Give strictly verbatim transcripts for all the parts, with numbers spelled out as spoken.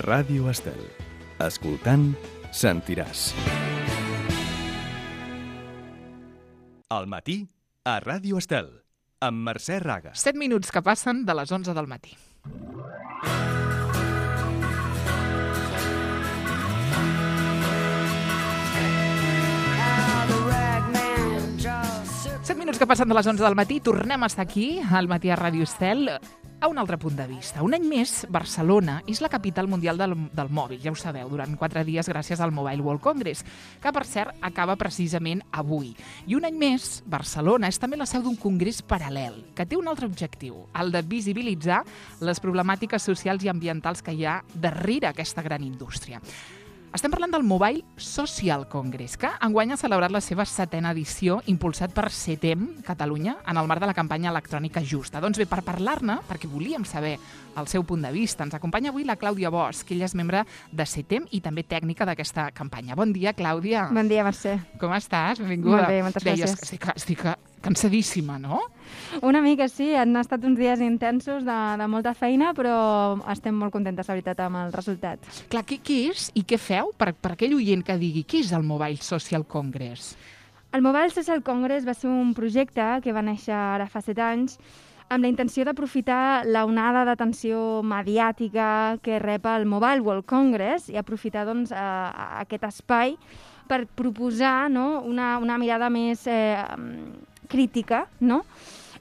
Ràdio Estel. Escoltant, sentiràs. Al matí, a Ràdio Estel, amb Mercè Raga. set minuts que passen de les onze del matí. set minuts que passen de les onze del matí, tornem a estar aquí, al matí a Ràdio Estel, a un altre punt de vista. Un any més, Barcelona és la capital mundial del, del mòbil, ja ho sabeu, durant quatre dies gràcies al Mobile World Congress, que per cert acaba precisament avui. I un any més, Barcelona és també la seu d'un congrés paral·lel, que té un altre objectiu, el de visibilitzar les problemàtiques socials i ambientals que hi ha darrere aquesta gran indústria. Estem parlant del Mobile Social Congress, que enguany ha celebrat la seva setena edició, impulsat per CETEM, Catalunya, en el marc de la campanya electrònica justa. Doncs bé, per parlar-ne, perquè volíem saber el seu punt de vista, ens acompanya avui la Clàudia Bosch, que ella és membre de CETEM i també tècnica d'aquesta campanya. Bon dia, Clàudia. Bon dia, Mercè. Com estàs? Benvinguda. Molt bé, moltes Deies gràcies. que estic, estic cansadíssima, no? Una mica, sí. Han estat uns dies intensos de, de molta feina, però estem molt contentes, la veritat, amb el resultat. Clar, què, què és i què feu per, per aquell oient que digui què és el Mobile Social Congress? El Mobile Social Congress va ser un projecte que va néixer ara fa set anys amb la intenció d'aprofitar la onada d'atenció mediàtica que rep el Mobile World Congress i aprofitar doncs, a, a aquest espai per proposar, no, una, una mirada més eh, crítica, no?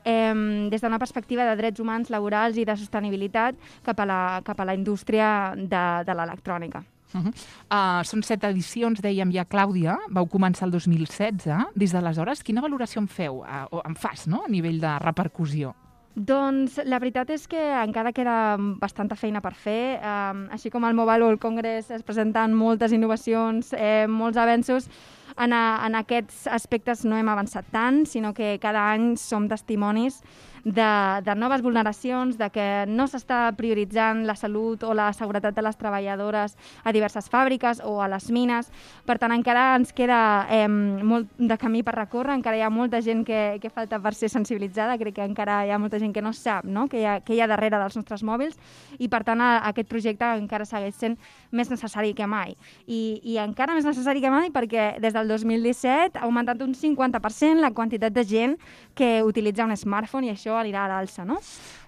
Eh, des d'una perspectiva de drets humans, laborals i de sostenibilitat cap a la, cap a la indústria de, de l'electrònica. Uh -huh. uh, són set edicions, dèiem ja, Clàudia, vau començar el dos mil setze. Des d'aleshores, quina valoració en feu, uh, o en fas, no?, a nivell de repercussió? Doncs la veritat és que encara queda bastanta feina per fer. Um, així com al Mobile World Congress es presenten moltes innovacions, eh, molts avenços, en, a, en aquests aspectes no hem avançat tant, sinó que cada any som testimonis de, de noves vulneracions, de que no s'està prioritzant la salut o la seguretat de les treballadores a diverses fàbriques o a les mines. Per tant, encara ens queda eh, molt de camí per recórrer, encara hi ha molta gent que, que falta per ser sensibilitzada, crec que encara hi ha molta gent que no sap, no?, que hi ha, que hi ha darrere dels nostres mòbils, i per tant a, aquest projecte encara segueix sent més necessari que mai. I, i encara més necessari que mai perquè des del dos mil disset ha augmentat un cinquanta per cent la quantitat de gent que utilitza un smartphone, i això anirà a l'alça, no?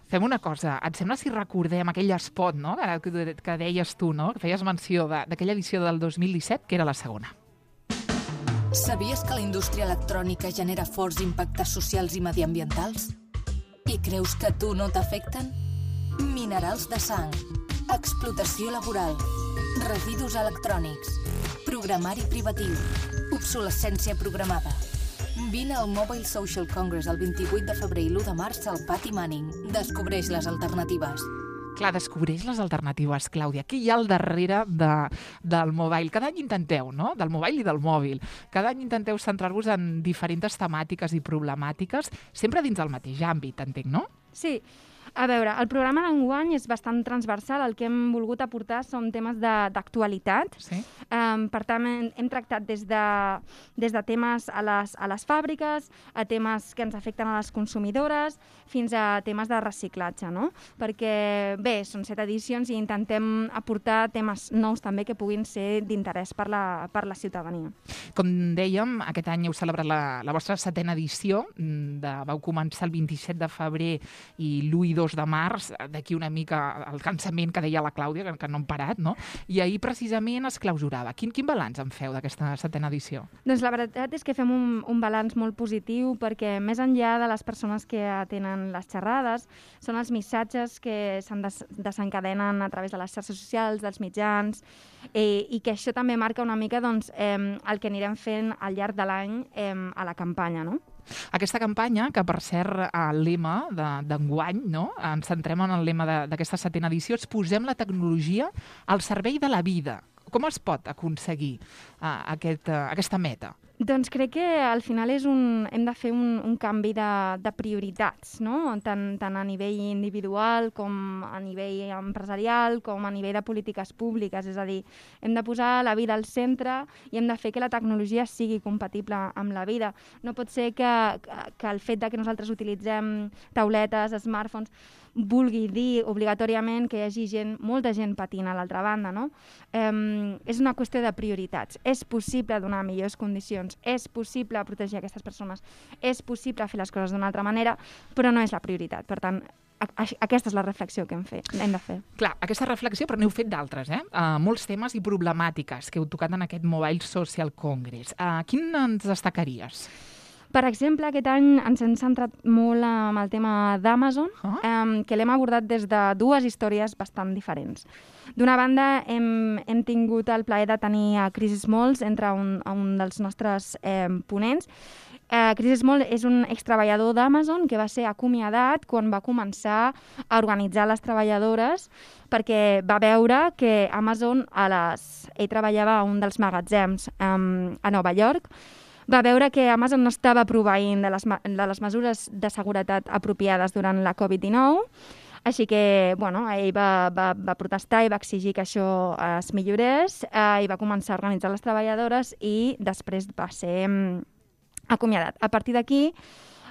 Fem una cosa, et sembla si recordem aquell spot, no?, que, que deies tu, no?, que feies menció d'aquella edició del dos mil disset, que era la segona. Sabies que la indústria electrònica genera forts impactes socials i mediambientals? I creus que a tu no t'afecten? Minerals de sang, explotació laboral, residus electrònics, programari privatiu, obsolescència programada. Vine al Mobile Social Congress el vint-i-vuit de febrer i l'u de març al Pati Manning. Descobreix les alternatives. Clar, descobreix les alternatives, Clàudia. Què hi ha al darrere de, del mobile? Cada any intenteu, no?, del mobile i del mòbil. Cada any intenteu centrar-vos en diferents temàtiques i problemàtiques, sempre dins del mateix àmbit, entenc, no? Sí. A veure, el programa d'enguany és bastant transversal. El que hem volgut aportar són temes d'actualitat. Sí. Um, per tant, hem, hem tractat des de, des de temes a les, a les fàbriques, a temes que ens afecten a les consumidores, fins a temes de reciclatge, no? Perquè, bé, són set edicions i intentem aportar temes nous també que puguin ser d'interès per la, per la ciutadania. Com dèiem, aquest any heu celebrat la, la vostra setena edició. De, vau començar el vint-i-set de febrer i l'u i dos de març, d'aquí una mica el cansament que deia la Clàudia, que, que no hem parat, no? I ahir precisament es clausurava. Quin, quin balanç en feu d'aquesta setena edició? Doncs la veritat és que fem un, un balanç molt positiu perquè més enllà de les persones que atenen les xerrades, són els missatges que se'n des desencadenen a través de les xarxes socials, dels mitjans, eh, i que això també marca una mica doncs, eh, el que anirem fent al llarg de l'any eh, a la campanya, no? Aquesta campanya, que per cert el lema d'enguany, no?, ens centrem en el lema d'aquesta setena edició, és posem la tecnologia al servei de la vida. Com es pot aconseguir uh, aquest, uh, aquesta meta? Doncs crec que al final és un, hem de fer un, un canvi de, de prioritats, no? Tant, tant a nivell individual com a nivell empresarial com a nivell de polítiques públiques. És a dir, hem de posar la vida al centre i hem de fer que la tecnologia sigui compatible amb la vida. No pot ser que, que, que el fet de que nosaltres utilitzem tauletes, smartphones, vulgui dir obligatòriament que hi hagi gent, molta gent patint a l'altra banda, no? Um, és una qüestió de prioritats. És possible donar millors condicions, és possible protegir aquestes persones, és possible fer les coses d'una altra manera, però no és la prioritat. Per tant, aquesta és la reflexió que hem, fet, hem de fer. Clar, aquesta reflexió, però n'heu fet d'altres, eh? Uh, molts temes i problemàtiques que heu tocat en aquest Mobile Social Congress. Uh, quin ens destacaries? Per exemple, aquest any ens hem centrat molt en el tema d'Amazon, uh -huh. um, que l'hem abordat des de dues històries bastant diferents. D'una banda, hem, hem tingut el plaer de tenir a Chris Smalls entre un, un dels nostres eh, ponents. Uh, Chris Small és un extreballador d'Amazon que va ser acomiadat quan va començar a organitzar les treballadores perquè va veure que Amazon, a les... ell treballava a un dels magatzems um, a Nova York, va veure que Amazon no estava proveint de les, de les mesures de seguretat apropiades durant la covid dinou, així que bueno, ell va, va, va protestar i va exigir que això es millorés eh, i va començar a organitzar les treballadores i després va ser um, acomiadat. A partir d'aquí,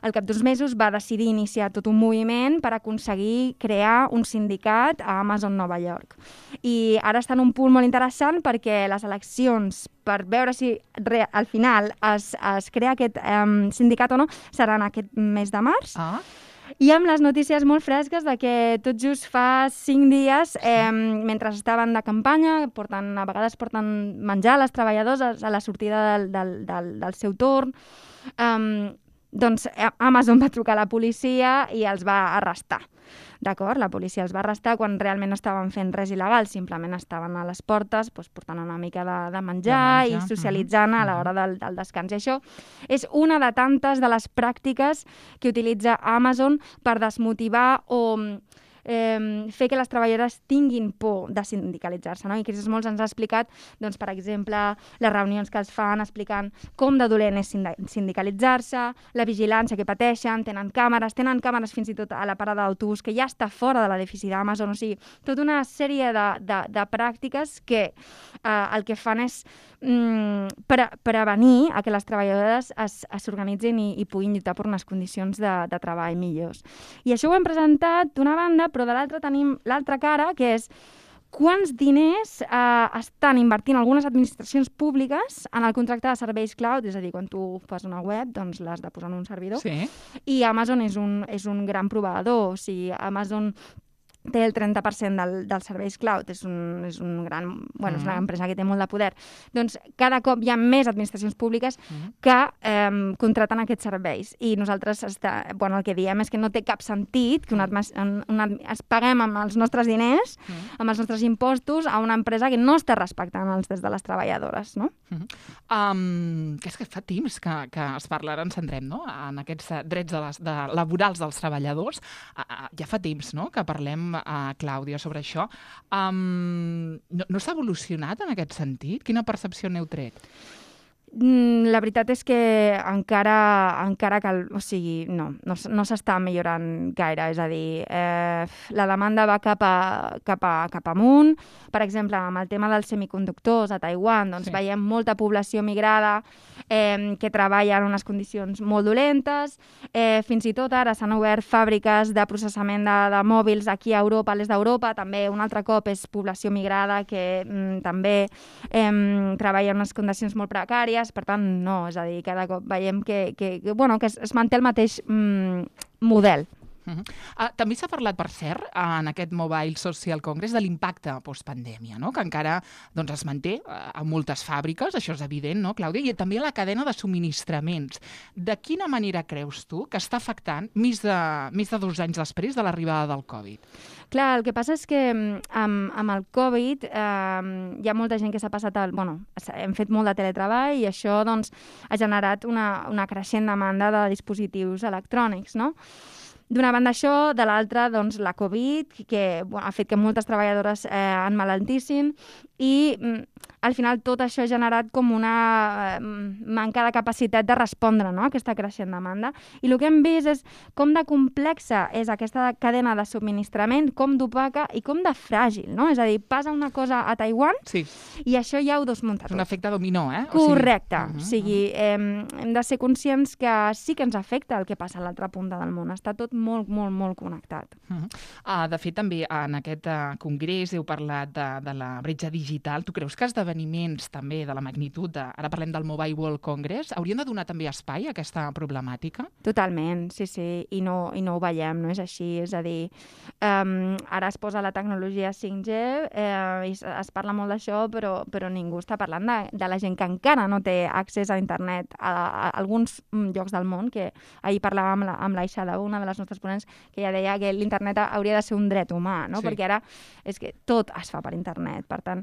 al cap d'uns mesos, va decidir iniciar tot un moviment per aconseguir crear un sindicat a Amazon Nova York. I ara està en un punt molt interessant perquè les eleccions, per veure si re, al final es, es crea aquest um, sindicat o no, seran aquest mes de març. Ah. I amb les notícies molt fresques de que tot just fa cinc dies, eh, mentre estaven de campanya, porten, a vegades porten menjar a les treballadores a la sortida del, del, del, del seu torn, eh, doncs Amazon va trucar a la policia i els va arrestar. D'acord? La policia els va arrestar quan realment no estaven fent res il·legal, simplement estaven a les portes doncs, portant una mica de, de, menjar de menjar i socialitzant uh-huh. a l'hora del, del descans. I això és una de tantes de les pràctiques que utilitza Amazon per desmotivar o eh, fer que les treballadores tinguin por de sindicalitzar-se. No? I Chris Smalls ens ha explicat, doncs, per exemple, les reunions que els fan explicant com de dolent és sindicalitzar-se, la vigilància que pateixen, tenen càmeres, tenen càmeres fins i tot a la parada d'autobús, que ja està fora de l'edifici d'Amazon. O sigui, tota una sèrie de, de, de pràctiques que eh, el que fan és mm, pre prevenir a que les treballadores s'organitzin i, i puguin lluitar per unes condicions de, de treball millors. I això ho hem presentat d'una banda, però de l'altra tenim l'altra cara, que és quants diners eh, estan invertint algunes administracions públiques en el contracte de serveis cloud, és a dir, quan tu fas una web, doncs l'has de posar en un servidor. Sí. I Amazon és un, és un gran proveïdor, o sigui, Amazon té el trenta per cent del, dels serveis cloud, és, un, és, un gran, bueno, mm. és una empresa que té molt de poder. Doncs cada cop hi ha més administracions públiques mm. que eh, contraten aquests serveis. I nosaltres està, bueno, el que diem és que no té cap sentit que una, una, es paguem amb els nostres diners, mm. amb els nostres impostos, a una empresa que no està respectant els drets de les treballadores. No? Mm. Um, que és que fa temps que, que es parla, ara ens centrem, no? En aquests drets de les, de, laborals dels treballadors. Uh, uh, ja fa temps, no?, que parlem a Clàudia sobre això. Um, no no s'ha evolucionat en aquest sentit? Quina percepció n'heu tret? La veritat és que encara, encara cal, o sigui, no, no, no s'està millorant gaire, és a dir, eh, la demanda va cap, a, cap, a, cap amunt. Per exemple, amb el tema dels semiconductors a Taiwan, doncs sí. veiem molta població migrada eh, que treballa en unes condicions molt dolentes. Eh, fins i tot ara s'han obert fàbriques de processament de, de mòbils aquí a Europa, a l'est d'Europa. També un altre cop és població migrada que mm, també eh, treballa en unes condicions molt precàries. Per tant, no, és a dir, cada cop veiem que, que, que, bueno, que es, es manté el mateix mm, model. Uh-huh. uh, també s'ha parlat, per cert, en aquest Mobile Social Congress de l'impacte postpandèmia, no? Que encara doncs, es manté uh, a moltes fàbriques, això és evident, no, Clàudia? I també a la cadena de subministraments. De quina manera creus tu que està afectant més de, més de dos anys després de l'arribada del Covid? Clar, el que passa és que amb, amb el Covid eh, hi ha molta gent que s'ha passat al... Bueno, hem fet molt de teletreball i això doncs, ha generat una, una creixent demanda de dispositius electrònics, no? D'una banda això, de l'altra, doncs, la Covid, que bueno, ha fet que moltes treballadores eh, enmalaltissin i mm, al final tot això ha generat com una eh, manca de capacitat de respondre, no?, a aquesta creixent demanda. I el que hem vist és com de complexa és aquesta cadena de subministrament, com d'opaca i com de fràgil, no? És a dir, passa una cosa a Taiwan sí. i això ja ho desmunta tot. Un efecte dominó, eh? Correcte. O sigui, uh-huh, o sigui eh, hem de ser conscients que sí que ens afecta el que passa a l'altra punta del món. Està tot molt, molt, molt connectat. Uh-huh. uh, de fet, també en aquest uh, congrés heu parlat de, de la bretxa digital. Tu creus que esdeveniments també de la magnitud, de, ara parlem del Mobile World Congress, haurien de donar també espai a aquesta problemàtica? Totalment, sí, sí, i no, i no ho veiem, no és així, és a dir, um, ara es posa la tecnologia cinc G eh, i es, es parla molt d'això, però, però ningú està parlant de, de la gent que encara no té accés a internet a, a alguns llocs del món, que ahir parlàvem amb la, amb l'Aixa, una de les nostres ponents, que ja deia que l'internet hauria de ser un dret humà, no? Sí. Perquè ara és que tot es fa per internet, per tant,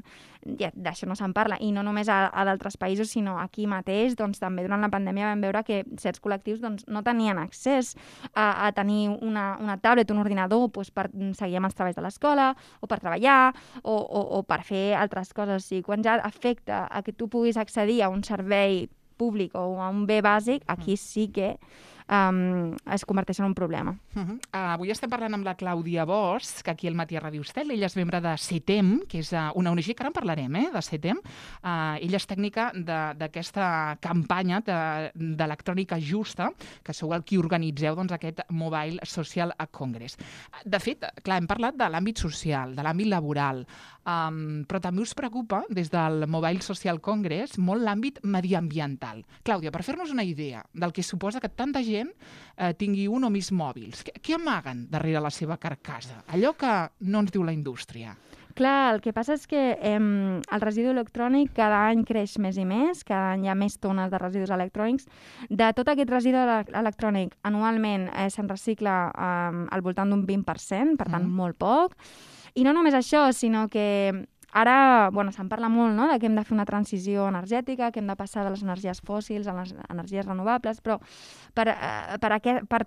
ja, d'això no se'n parla, i no només a, a d'altres països, sinó aquí mateix, doncs també durant la pandèmia vam veure que certs col·lectius doncs, no tenien accés a, a tenir una, una tablet, un ordinador, doncs, per seguir amb els treballs de l'escola, o per treballar, o, o, o per fer altres coses. I quan ja afecta a que tu puguis accedir a un servei públic o a un bé bàsic, aquí sí que Um, es converteix en un problema. Uh-huh. Uh, avui estem parlant amb la Clàudia Bosch, que aquí al Matí a Ràdio Estel. Ella és membre de CETEM, que és uh, una O N G, que ara en parlarem, eh, de CETEM. Uh, ella és tècnica d'aquesta campanya d'electrònica de, justa, que sou el qui organitzeu doncs, aquest Mobile Social Congress. De fet, clar, hem parlat de l'àmbit social, de l'àmbit laboral, um, però també us preocupa, des del Mobile Social Congress, molt l'àmbit mediambiental. Clàudia, per fer-nos una idea del que suposa que tanta gent eh, tingui un o més mòbils. Què, què amaguen darrere la seva carcassa? Allò que no ens diu la indústria. Clar, el que passa és que eh, el residu electrònic cada any creix més i més, cada any hi ha més tones de residus electrònics. De tot aquest residu electrònic, anualment eh, se'n recicla eh, al voltant d'un vint per cent, per tant, mm. molt poc. I no només això, sinó que ara, bueno, se'n parla molt, no?, de que hem de fer una transició energètica, que hem de passar de les energies fòssils a les energies renovables, però per, eh, per, aquest, per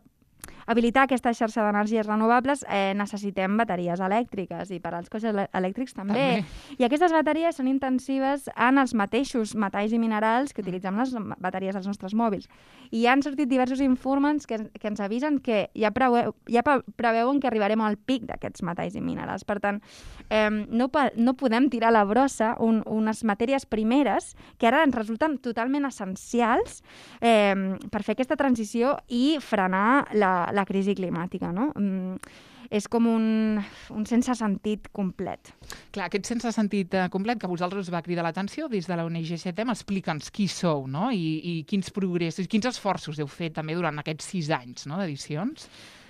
habilitar aquesta xarxa d'energies renovables eh, necessitem bateries elèctriques, i per als cotxes elèctrics també. també. I aquestes bateries són intensives en els mateixos metalls i minerals que utilitzem les bateries dels nostres mòbils. I han sortit diversos informes que, que ens avisen que ja, preveu, ja preveuen que arribarem al pic d'aquests metalls i minerals. Per tant, eh, no, no podem tirar a la brossa un, unes matèries primeres que ara ens resulten totalment essencials eh, per fer aquesta transició i frenar la la crisi climàtica, no? Mm, és com un, un sense sentit complet. Clar, aquest sense sentit uh, complet que a vosaltres us va cridar l'atenció des de la O N G CETEM, explica'ns qui sou, no? I, i quins progressos, quins esforços heu fet també durant aquests sis anys, no?, d'edicions.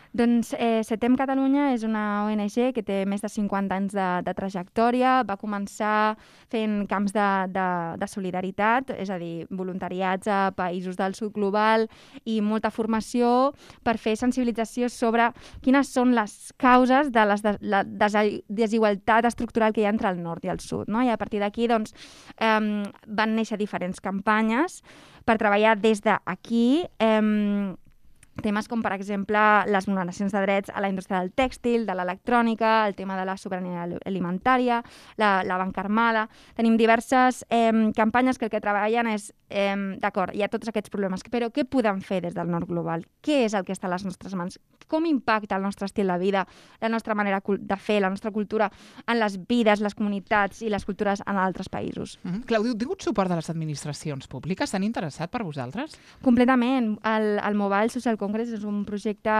Doncs eh, CETEM Catalunya és una O N G que té més de cinquanta anys de, de trajectòria. Va començar fent camps de, de, de solidaritat, és a dir, voluntariats a països del sud global i molta formació per fer sensibilització sobre quines són les causes de les de, la desigualtat estructural que hi ha entre el nord i el sud, no? I a partir d'aquí doncs, eh, van néixer diferents campanyes per treballar des d'aquí eh, temes com, per exemple, les vulneracions de drets a la indústria del tèxtil, de l'electrònica, el tema de la sobirania alimentària, la, la banca armada. Tenim diverses eh, campanyes que el que treballen és, eh, d'acord, hi ha tots aquests problemes, però què podem fer des del nord global? Què és el que està a les nostres mans? Com impacta el nostre estil de vida, la nostra manera de fer, la nostra cultura en les vides, les comunitats i les cultures en altres països? Mm-hmm. Clàudia, heu tingut suport de les administracions públiques? S'han interessat per vosaltres? Completament. El, el Mobile Social Congress és un projecte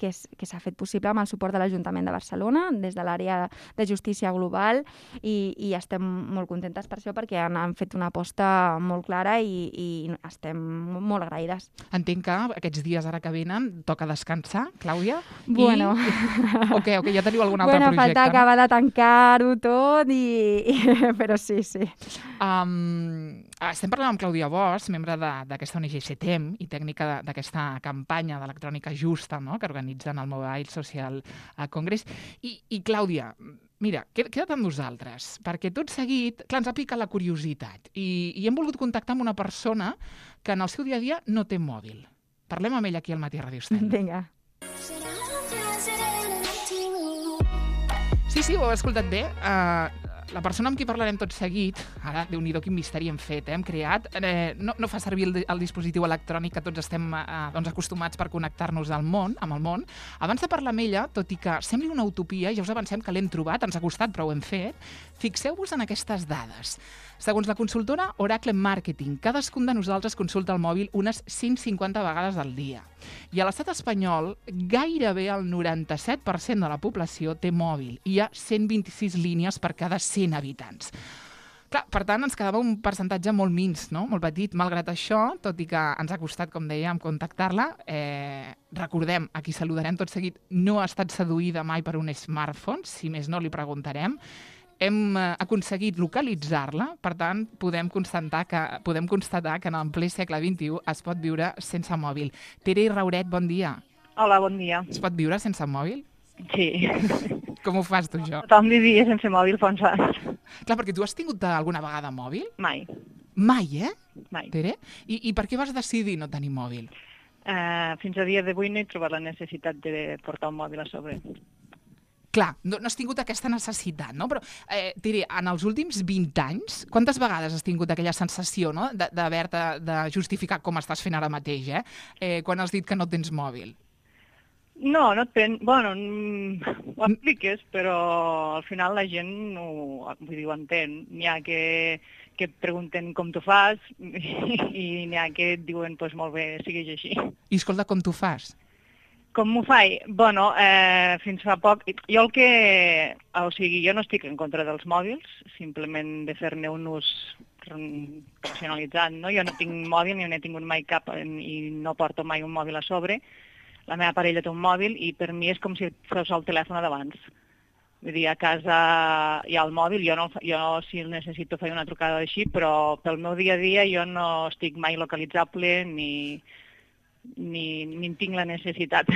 que, és, que s'ha fet possible amb el suport de l'Ajuntament de Barcelona, des de l'àrea de justícia global, i, i estem molt contentes per això, perquè han, han fet una aposta molt clara i, i estem molt agraïdes. Entenc que aquests dies ara que venen toca descansar, Clàudia? Bueno. I... Ok, ok, ja teniu algun altre bueno, projecte. Falta acabar de tancar-ho tot, i... i... però sí, sí. Um, estem parlant amb Clàudia Bosch, membre d'aquesta O N G CETEM i tècnica d'aquesta campanya d'electrònica justa, no?, que organitzen el Mobile Social Congress. I, i Clàudia, mira, queda't amb nosaltres, perquè tot seguit, clar, ens ha picat la curiositat i, i hem volgut contactar amb una persona que en el seu dia a dia no té mòbil. Parlem amb ella aquí al Matí a Ràdio Estel. Vinga. Sí, sí, ho heu escoltat bé. Uh, la persona amb qui parlarem tot seguit, ara, Déu-n'hi-do, quin misteri hem fet, eh? Hem creat, eh, no, no fa servir el, el dispositiu electrònic que tots estem eh, doncs acostumats per connectar-nos al món, amb el món. Abans de parlar amb ella, tot i que sembli una utopia, ja us avancem que l'hem trobat, ens ha costat, però ho hem fet, fixeu-vos en aquestes dades. Segons la consultora Oracle Marketing, cadascun de nosaltres consulta el mòbil unes cent cinquanta vegades al dia. I a l'estat espanyol, gairebé el noranta-set per cent de la població té mòbil. Hi ha cent vint-i-sis línies per cada cent habitants. Clar, per tant, ens quedava un percentatge molt mins, no? Molt petit. Malgrat això, tot i que ens ha costat, com dèiem, contactar-la, eh, recordem, a qui saludarem tot seguit, no ha estat seduïda mai per un smartphone, si més no li preguntarem. Hem eh, aconseguit localitzar-la, per tant, podem constatar que, podem constatar que en el ple segle vint-i-u es pot viure sense mòbil. Tere Rauret, bon dia. Hola, bon dia. Es pot viure sense mòbil? Sí. Com ho fas tu, jo? Tothom vivia sense mòbil fa uns anys. Clar, perquè tu has tingut alguna vegada mòbil? Mai. Mai, eh? Mai. Tere? I, I per què vas decidir no tenir mòbil? Uh, fins a dia d'avui no he trobat la necessitat de portar un mòbil a sobre. Clar, no, no has tingut aquesta necessitat, no? Però, eh, Tere, en els últims vint anys, quantes vegades has tingut aquella sensació, no?, d'haver-te de justificar com estàs fent ara mateix, eh? eh? Quan has dit que no tens mòbil? No, no et pen... Bueno, ho expliques, però al final la gent ho, vull dir, ho entén. N'hi ha que, que et pregunten com tu fas i n'hi ha que et diuen, doncs molt bé, siguis així. I escolta, com tu fas? Com m'ho faig? Bueno, eh, fins fa poc... Jo el que... O sigui, jo no estic en contra dels mòbils, simplement de fer-ne un ús racionalitzat, no? Jo no tinc mòbil, ni n'he tingut mai cap i no porto mai un mòbil a sobre. La meva parella té un mòbil i per mi és com si fos el telèfon d'abans. Vull dir, a casa hi ha el mòbil, jo, no, jo si el necessito faig una trucada així, però pel meu dia a dia jo no estic mai localitzable ni... Ni, ni en tinc la necessitat.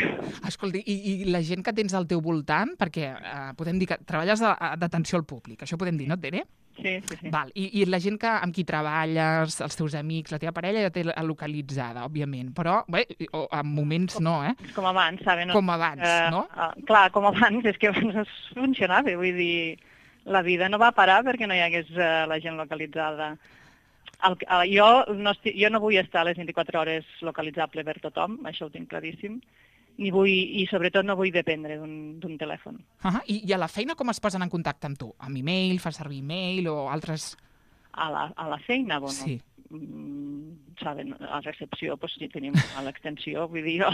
Escolta, i, i la gent que tens al teu voltant, perquè eh, podem dir que treballes d'atenció al públic, això podem dir, no, Tere? Sí, sí, sí. Val. I, I la gent que, amb qui treballes, els teus amics, la teva parella ja té localitzada, òbviament, però bé, en moments com, no, eh? Com abans, saben? Com abans, uh, no? Uh, clar, com abans, és que abans funcionava, vull dir, la vida no va parar perquè no hi hagués uh, la gent localitzada. El, el, jo, no estic, jo no vull estar a les vint-i-quatre hores localitzable per tothom, això ho tinc claríssim, ni vull, i sobretot no vull dependre d'un telèfon. Uh -huh. I, I a la feina com es posen en contacte amb tu? Amb e-mail, fas servir e-mail o altres... A la, a la feina, bueno, sí. mm, saben, a la recepció doncs, sí, tenim a l'extensió, vull dir jo.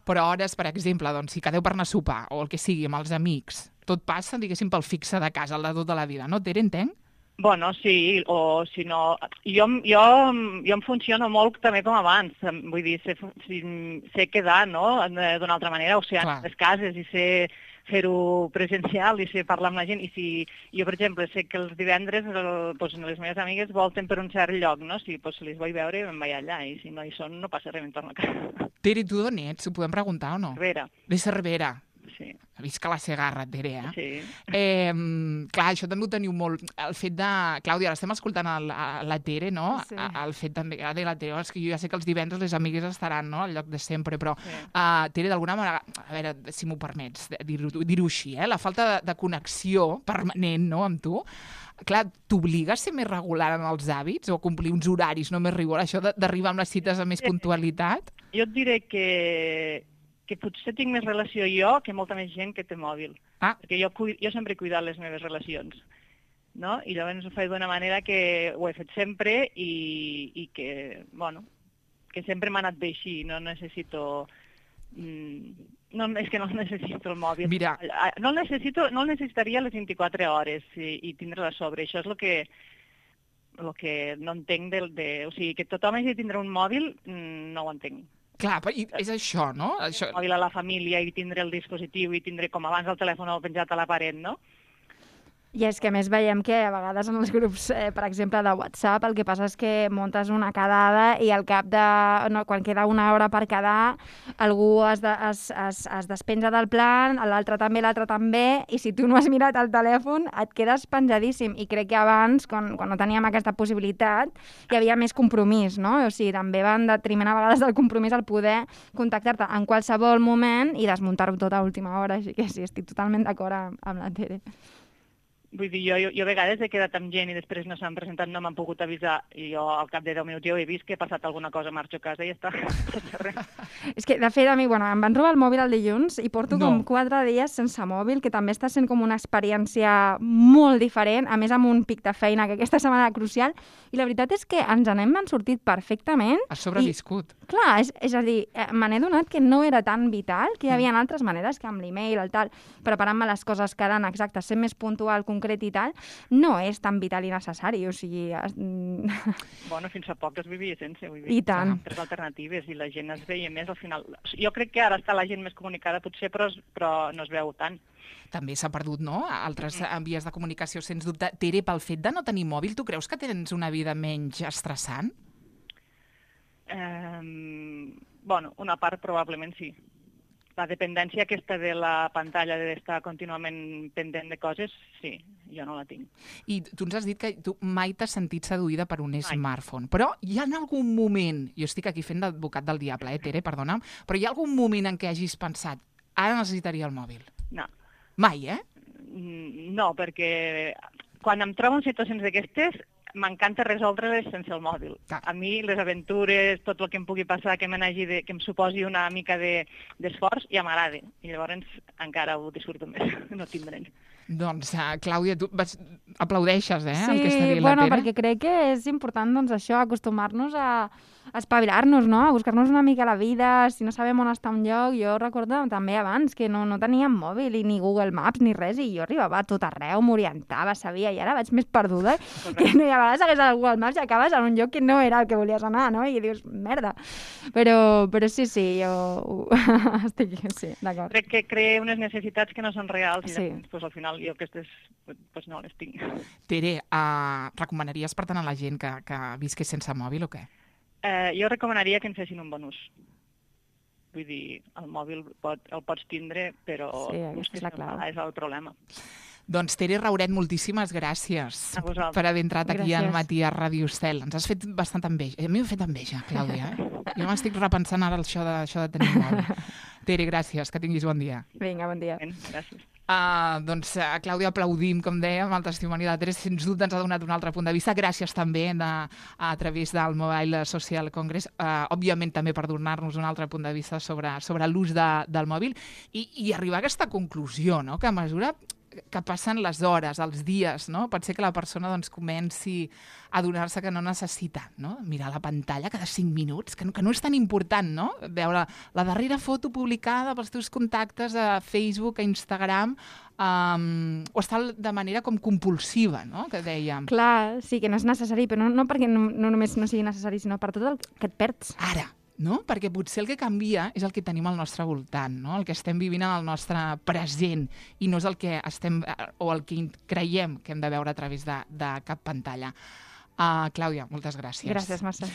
Però hores, per exemple, doncs, si quedeu per anar a sopar o el que sigui amb els amics, tot passa, diguéssim, pel fixe de casa, el de tota la vida, no, Tere, entenc? Bueno, sí, o si no... Jo, jo, jo em funciono molt també com abans, vull dir, sé, sé quedar, no?, d'una altra manera, o sigui, anar a les cases i sé fer-ho presencial i sé parlar amb la gent, i si jo, per exemple, sé que els divendres el, doncs, les meves amigues volten per un cert lloc, no?, si doncs, les vull veure me'n vaig allà, i si no hi són no passa res, me'n torno a casa. Tere, tu d'on ets? Ho podem preguntar o no? Cervera. De Cervera. Sí. Visca la Segarra, Tere, eh? Sí. Eh, clar, això també ho teniu molt... El fet de... Clàudia, ara estem escoltant el, la Tere, no? Sí. El fet també de la Tere, és que jo ja sé que els divendres les amigues estaran, no?, al lloc de sempre, però, sí. uh, Tere, d'alguna manera, a veure, si m'ho permets dir-ho dir així, eh? La falta de, de connexió permanent, no?, amb tu, clar, t'obliga a ser més regular en els hàbits o a complir uns horaris no més rigor, això d'arribar amb les cites amb més puntualitat? Jo et diré que... que potser tinc més relació jo que molta més gent que té mòbil. Ah. Perquè jo, jo sempre he cuidat les meves relacions, no? I llavors ho faig d'una manera que ho he fet sempre i, i que, bueno, que sempre m'ha anat bé així, no necessito... Mm, no, és que no necessito el mòbil. Mira. No el necessito, no el necessitaria les vint-i-quatre hores i, i tindre-la a sobre. Això és el que, el que no entenc del... De, o sigui, que tothom hagi de tindre un mòbil, mm, no ho entenc. Clar, és això, no? Això... El mòbil a la família i tindre el dispositiu i tindre com abans el telèfon penjat a la paret, no? I és que a més veiem que a vegades en els grups, eh, per exemple, de WhatsApp, el que passa és que muntes una quedada i al cap de... No, quan queda una hora per quedar, algú es, de, es, es, es despenja del plan, l'altre també, l'altre també, i si tu no has mirat el telèfon et quedes penjadíssim. I crec que abans, quan, quan no teníem aquesta possibilitat, hi havia més compromís, no? O sigui, també va en detriment a vegades del compromís el poder contactar-te en qualsevol moment i desmuntar-ho tot a última hora. Així que sí, estic totalment d'acord amb, amb la Tere. Vull dir, jo, jo, jo a vegades he quedat amb gent i després no s'han presentat, no m'han pogut avisar, i jo al cap de deu minuts ja ho he vist que he passat alguna cosa, marxo a casa i ja està. És que, de fet, a mi, bueno, em van robar el mòbil el dilluns i porto No. com quatre dies sense mòbil, que també està sent com una experiència molt diferent, a més amb un pic de feina, que aquesta setmana era crucial, i la veritat és que ens n'hem sortit perfectament. Has sobreviscut. I, clar, és, és a dir, eh, me n'he donat que no era tan vital, que hi havia altres maneres que amb l'email, el tal, preparant-me les coses quedant exactes, sent més puntual, concret i tal, no és tan vital i necessari, o sigui... Es... Bueno, fins fa poc es vivia sense, vull dir. I tant. Tres alternatives, i la gent es veia més al final. Jo crec que ara està la gent més comunicada, potser, però, però no es veu tant. També s'ha perdut, no? Altres mm. vies de comunicació, sens dubte. Tere, pel fet de no tenir mòbil, tu creus que tens una vida menys estressant? Eh, bueno, una part probablement sí. La dependència aquesta de la pantalla, d'estar contínuament pendent de coses, sí, jo no la tinc. I tu ens has dit que tu mai t'has sentit seduïda per un Mai. smartphone, però hi ha en algun moment, jo estic aquí fent d'advocat del diable, eh, Tere, perdona'm, però hi ha algun moment en què hagis pensat, ara necessitaria el mòbil? No. Mai, eh? Mm, No, perquè quan em trobo en situacions d'aquestes, m'encanta resoldre-les sense el mòbil. Clar. A mi les aventures, tot el que em pugui passar, que, de, que em suposi una mica d'esforç, de, ja m'agrada. I llavors encara ho disfruto més, no tindre'n. Doncs, uh, Clàudia, tu vas... aplaudeixes, eh, Sí, el que està dient bueno, la Tere? perquè crec que és important, doncs, això, acostumar-nos a espavilar-nos, no? A buscar-nos una mica la vida, si no sabem on està un lloc. Jo recordo també abans que no, no teníem mòbil i ni Google Maps ni res, i jo arribava a tot arreu, m'orientava, sabia, i ara vaig més perduda, que no, i a vegades hagués el Google Maps i acabes en un lloc que no era el que volies anar, no? I dius, merda. Però, però sí, sí, jo estic, sí, d'acord. Crec que crea unes necessitats que no són reals i Sí. llavors, pues, al final jo aquestes pues, no les tinc. Tere, uh, recomanaries per tant a la gent que, que visqués sense mòbil o què? Eh, jo recomanaria que en fessin un bon ús. Vull dir, el mòbil pot, el pots tindre, però Sí, aquesta és la clau. és el problema. Doncs Tere Rauret, moltíssimes gràcies A vosaltres. per haver entrat aquí Gràcies. al matí a Ràdio Estel. Ens has fet bastanta enveja. A mi m'ha fet enveja, Clàudia. Eh? Jo m'estic repensant ara això de, això de tenir un mòbil. Tere, gràcies, que tinguis bon dia. Vinga, bon dia. Ben, gràcies. Uh, doncs a Clàudia aplaudim, com dèiem, el testimoni de la Tere, sens dubte ens ha donat un altre punt de vista. Gràcies també de, a través del Mobile Social Congress, uh, òbviament també per donar-nos un altre punt de vista sobre, sobre l'ús de, del mòbil i, i arribar a aquesta conclusió, no? Que a mesura que passen les hores, els dies, no? Pot ser que la persona doncs, comenci a adonar-se que no necessita, no? Mirar la pantalla cada cinc minuts, que no, que no és tan important, no? Veure la darrera foto publicada pels teus contactes a Facebook, a Instagram, um, o estar de manera com compulsiva, no? Que dèiem. Clar, sí, que no és necessari, però no, no perquè no, no només no sigui necessari, sinó per tot el que et perds. Ara, no? Perquè potser el que canvia és el que tenim al nostre voltant, no? El que estem vivint en el nostre present i no és el que estem o el que creiem que hem de veure a través de, de cap pantalla. Uh, Clàudia, moltes gràcies. Gràcies, Mercè.